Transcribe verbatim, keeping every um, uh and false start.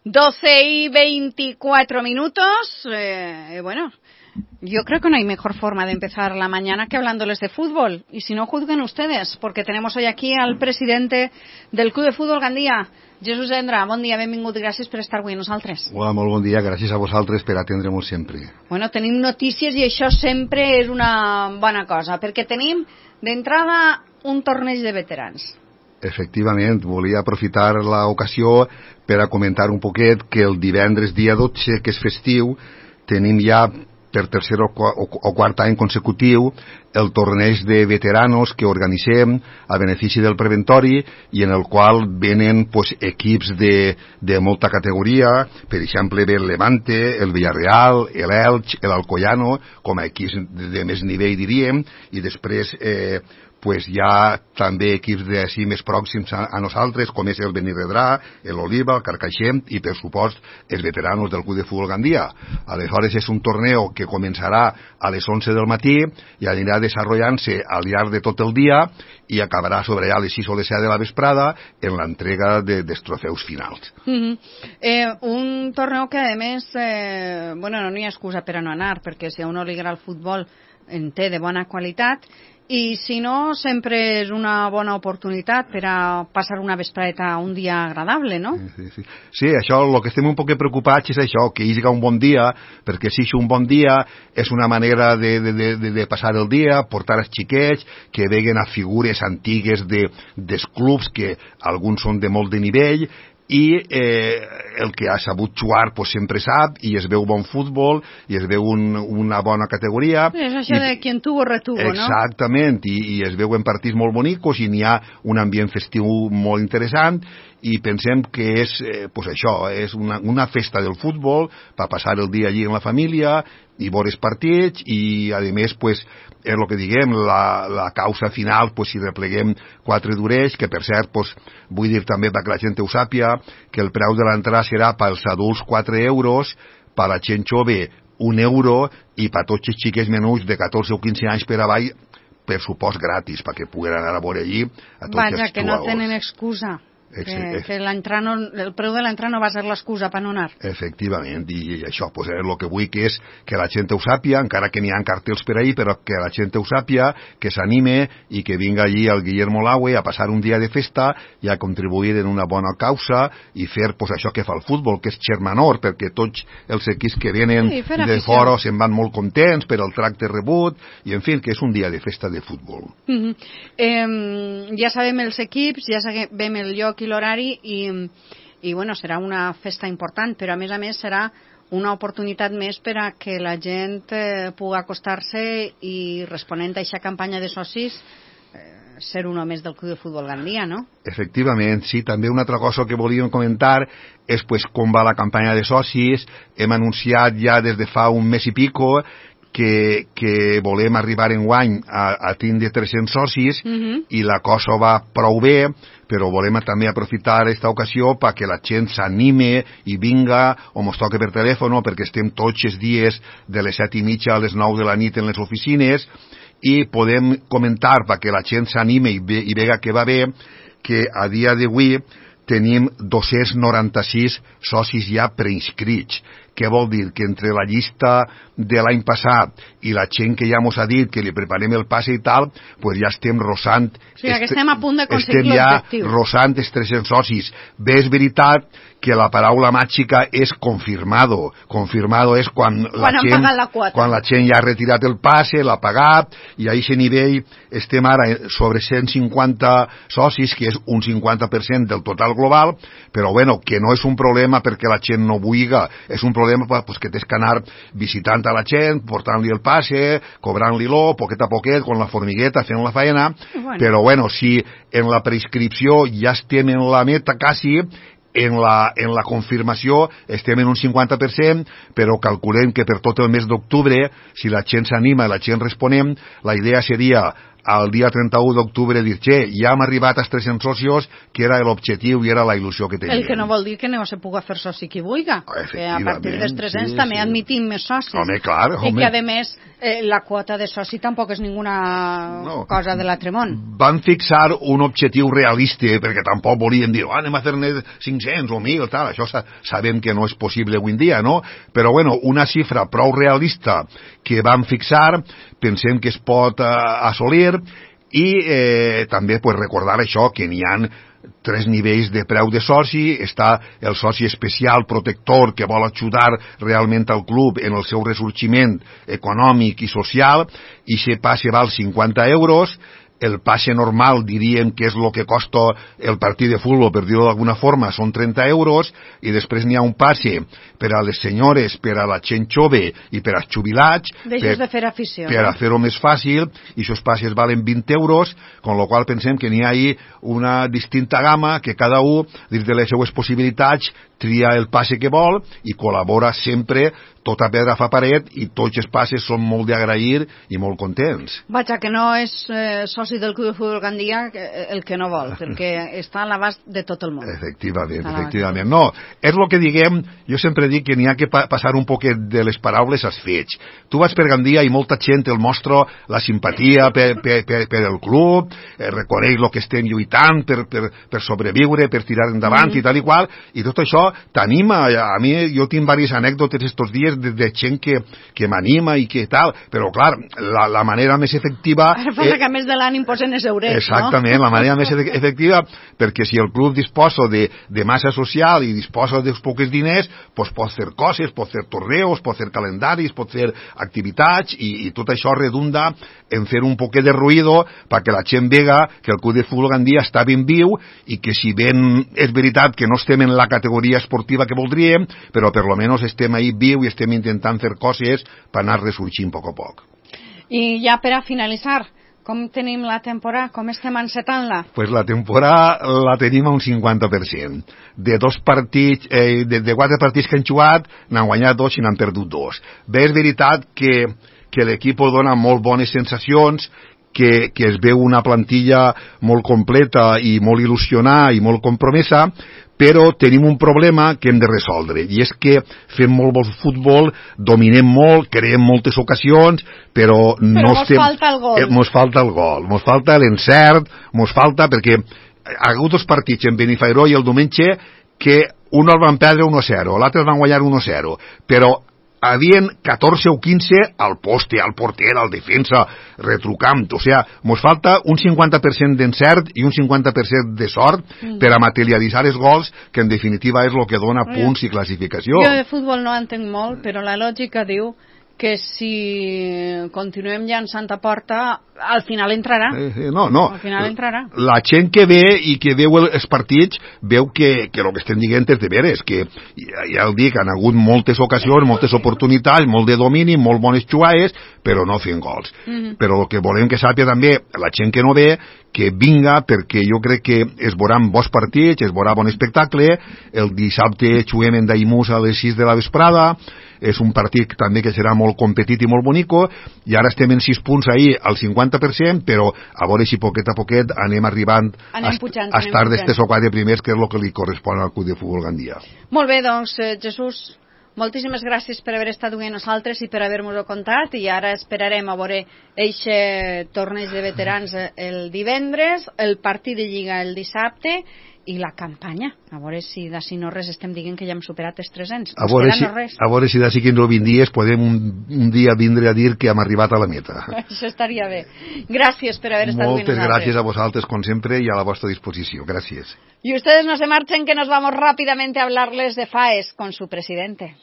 doce y veinticuatro minutos. Eh, bueno, yo creo que no hay mejor forma de empezar la mañana que hablándoles de fútbol. Y si no, juzguen ustedes, porque tenemos hoy aquí al presidente del Club de Fútbol Gandia, Jesús Endra. Bon dia, benvingut i gràcies per estar avui amb nosaltres. Hola, molt bon dia, gràcies a vosaltres per atendre-nos sempre. Bueno, tenim notícies i això sempre és una bona cosa, perquè tenim d'entrada un torneig de veterans. Efectivament, volia aprofitar l'ocasió per a comentar un poquet que el divendres dia dotze, que és festiu, tenim ja per tercer o, o, o quart any consecutiu el torneig de veteranos que organitzem a benefici del preventori i en el qual venen pues, equips de, de molta categoria, per exemple ve el Levante, el Villarreal, el Elx, l'Alcoyano, com a equips de, de més nivell diríem, i després eh, pues hi ha també equips de així més pròxims a, a nosaltres, com és el Benirredrà, l'Oliva, el Carcaixent i, per supost, els veteranos del Club de Futbol Gandia. Aleshores, és un torneo que començarà a les onze del matí i anirà desenvolupant-se al llarg de tot el dia i acabarà sobre a les sis o les set de la vesprada en l'entrega de, dels trofeus finals. Mm-hmm. eh, un torneo que, a més, eh, bueno, no n'hi ha excusa per a no anar, perquè si a uno li agrada el futbol en té de bona qualitat, i si no, sempre és una bona oportunitat per a passar una vespreta, un dia agradable, no? Sí, sí, sí. Sí, això, el que estem un poc preocupats és això, que hi hagi un bon dia, perquè si és un bon dia és una manera de, de, de, de passar el dia, portar els xiquets, que veguen a figures antigues de, dels clubs, que alguns són de molt de nivell, i eh, el que ha sabut jugar pues, sempre sap, i es veu bon futbol i es veu un, una bona categoria. És això I, de quien tuvo retuvo, exactament, no? Exactament, i, i es veuen partits molt bonicos i n'hi ha un ambient festiu molt interessant i pensem que és eh, pues això, és una, una festa del futbol per passar el dia allí amb la família i veure els partits i a més pues, és el que diguem, la, la causa final, pues, si repleguem quatre d'orells, que per cert, pues, vull dir també perquè la gent ho sàpia, que el preu de l'entrada serà pels adults quatre euros, per la gent jove un euro i per tots els xiquets menuts de catorze o quinze anys per avall, per supost gratis, perquè puguen anar a veure allí a tots Vaja, els jugadors. Vaja, que no tenen excusa. Que, que no, el preu de l'entrada no va ser l'excusa per no anar. Efectivament, i, i això pues, és el que vull que és que la gent ho sàpia, encara que n'hi ha cartells per ahí, però que la gent ho sàpia, que s'anime i que vinga allí el Guillermo Laue a passar un dia de festa i a contribuir en una bona causa i fer pues, això que fa el futbol, que és xermanor, perquè tots els equips que venen sí, de fora se'n van molt contents per el tracte rebut, i en fi, que és un dia de festa de futbol. Mm-hmm. eh, ja sabem els equips, ja sabem el lloc i l'horari i, i bueno, serà una festa important, però a més a més serà una oportunitat més per a que la gent eh, pugui acostar-se i responent a aquesta campanya de socis eh, ser un més del Club de Futbol Gandia, no? Efectivament, sí. També una altra cosa que volíem comentar és pues, com va la campanya de socis. Hem anunciat ja des de fa un mes i pico que, que volem arribar enguany a, a tindre tres-cents socis uh-huh. i la cosa va prou bé, però volem també aprofitar aquesta ocasió perquè la gent s'anime i vinga o mos toque per telèfon, perquè estem tots els dies de les set i mitja a les nou de la nit en les oficines i podem comentar perquè la gent s'anime i, ve, i vega que va bé, que a dia d'avui tenim dos-cents noranta-sis socis ja preinscrits. Què vol dir? Que entre la llista de l'any passat i la gent que ja mos ha dit que li preparem el passe i tal, pues ja estem rosant... O sigui, que estem a punt d'aconseguir Estem l'objectiu. ja rosant els tres-cents socis. Bé, és veritat que la paraula màgica és confirmado. Confirmado és quan, quan la, gent, la, quan la gent ja ha retirat el passe, l'ha pagat, i a aquest nivell estem ara sobre cent cinquanta socis, que és un cinquanta per cent del total global, però bueno, que no és un problema perquè la gent no vulga, és un problema pues, que tens que anar visitant a la gent, portant-li el passe, cobrant-li-lo, poquet a poquet, con la formigueta, fent la faena, bueno. Però bueno, si en la prescripció ja estem en la meta quasi, en la, en la confirmació estem en un cinquanta per cent, però calculem que per tot el mes d'octubre, si la gent s'anima i la gent responem, la idea seria al dia trenta-u d'octubre dir, che, ja hem arribat als tres-cents socios, que era l'objectiu i era la il·lusió que teníem. El que no vol dir que no se pugui fer soci qui vulgui, que a partir dels tres-cents sí, també sí. admitim més socis. Home, clar, home. I que, a més, eh, la quota de soci tampoc és ninguna no. cosa de l'altre món. Van fixar un objectiu realista, perquè tampoc volien dir, oh, anem a fer-ne cinc-cents o mil, tal, això sa sabem que no és possible avui en dia, no? Però, bueno, una xifra prou realista que van fixar, pensem que es pot eh, assolir, i eh, també pues, recordar això, que n'hi ha tres nivells de preu de soci. Està el soci especial protector, que vol ajudar realment al club en el seu ressorgiment econòmic i social, i se passe val cinquanta euros. El passe normal, diríem que és el que costa el partit de futbol, per dir-ho d'alguna forma, són trenta euros, i després n'hi ha un passe per a les senyores, per a la gent jove i per als jubilats, per, de fer afició, per a fer-ho més fàcil, i aquests passes valen vint euros, con la qual pensem que n'hi ha ahí una distinta gamma, que cada un, dins de les seues possibilitats, tria el passe que vol i col·labora sempre. Tota pedra fa paret, i tots els passes són molt d'agrair i molt contents. Vaja, que no és eh, soci del Club de Futbol Gandia el que no vol, perquè està a l'abast de tot el món. Efectivament, efectivament. No, és el que diguem, jo sempre dic que n'hi ha que pa passar un poquet de les paraules als fets. Tu vas per Gandia i molta gent el mostra la simpatia per, per, per, per el club, eh, reconeix el que estem lluitant per, per, per sobreviure, per tirar endavant mm. i tal i qual, i tot això t'anima. A mi, jo tinc diverses anècdotes estos dies de, de gent que, que m'anima i que tal, però clar, la, la manera més efectiva... Ara passa que a més de l'ànim posen els eurets, exactament, no? La manera més efectiva, perquè si el club disposa de, de massa social i disposa dels pocs diners, pues pot fer coses, pot fer torneos, pot fer calendaris, pot fer activitats, i, i tot això redunda en fer un poquet de ruïdo perquè la gent vega que el Club de Futbol Gandia està ben viu, i que si ben és veritat que no estem en la categoria esportiva que voldríem, però per lo menos estem ahí viu i estem intentant fer coses per anar ressorgint a poc a poc. I ja per a finalitzar, com tenim la temporada? Com estem encetant-la? Pues la temporada la tenim a un cinquanta per cent. De dos partits, eh, de, de quatre partits que han jugat, n'han guanyat dos i n'han perdut dos. Bé, és veritat que, que l'equip dona molt bones sensacions, que, que es veu una plantilla molt completa i molt il·lusionada i molt compromesa, però tenim un problema que hem de resoldre, i és que fem molt bon futbol, dominem molt, creem moltes ocasions, però, però no mos estem... falta el gol. Eh, mos falta el gol, mos falta l'encert, mos falta, perquè ha hagut dos partits en Benifairó i el diumenge que un el van perdre u a zero, l'altre el van guanyar u a zero, però havien catorze o quinze al poste, al porter, al defensa, retrucant. O sigui, mos falta un cinquanta per cent d'encert i un cinquanta per cent de sort mm. per a materialitzar els gols, que en definitiva és el que dona punts i classificació. Jo de futbol no entenc molt, però la lògica diu que si continuem llançant a porta, al final entrarà. Eh, no, no. Al final entrarà. La gent que ve i que veu els partits veu que, que el que estem dient és de veres, que ja, ja el dic, han hagut moltes ocasions, moltes oportunitats, molt de domini, molt bones jugades, però no fent gols. Mm-hmm. Però el que volem que sàpiga també la gent que no ve, que vinga, perquè jo crec que es veuran bons partits, es veurà bon espectacle. El dissabte juguem en Daimús a les sis de la vesprada, és un partit també que serà molt competit i molt bonico, i ara estem en sis punts ahir al cinquanta per cent, però a veure si poquet a poquet anem arribant anem pujant, a estar d'estes o quatre primers, que és el que li correspon al Club de Futbol Gandia. Molt bé, doncs, eh, Jesús, moltíssimes gràcies per haver estat amb nosaltres i per haver-nos-ho contat, i ara esperarem a veure eixe torneig de veterans el divendres, el partit de Lliga el dissabte i la campanya, a veure si d'ací no res estem dient que ja hem superat els tres-cents. A veure, si, a veure si d'ací quinze o vint dies podem un, un dia vindre a dir que hem arribat a la meta. Això estaria bé. Gràcies per haver estat Moltes gràcies a vosaltres, com sempre, i a la vostra disposició. Gràcies. Y ustedes no se marchen, que nos vamos rápidamente a hablarles de FAES con su presidente.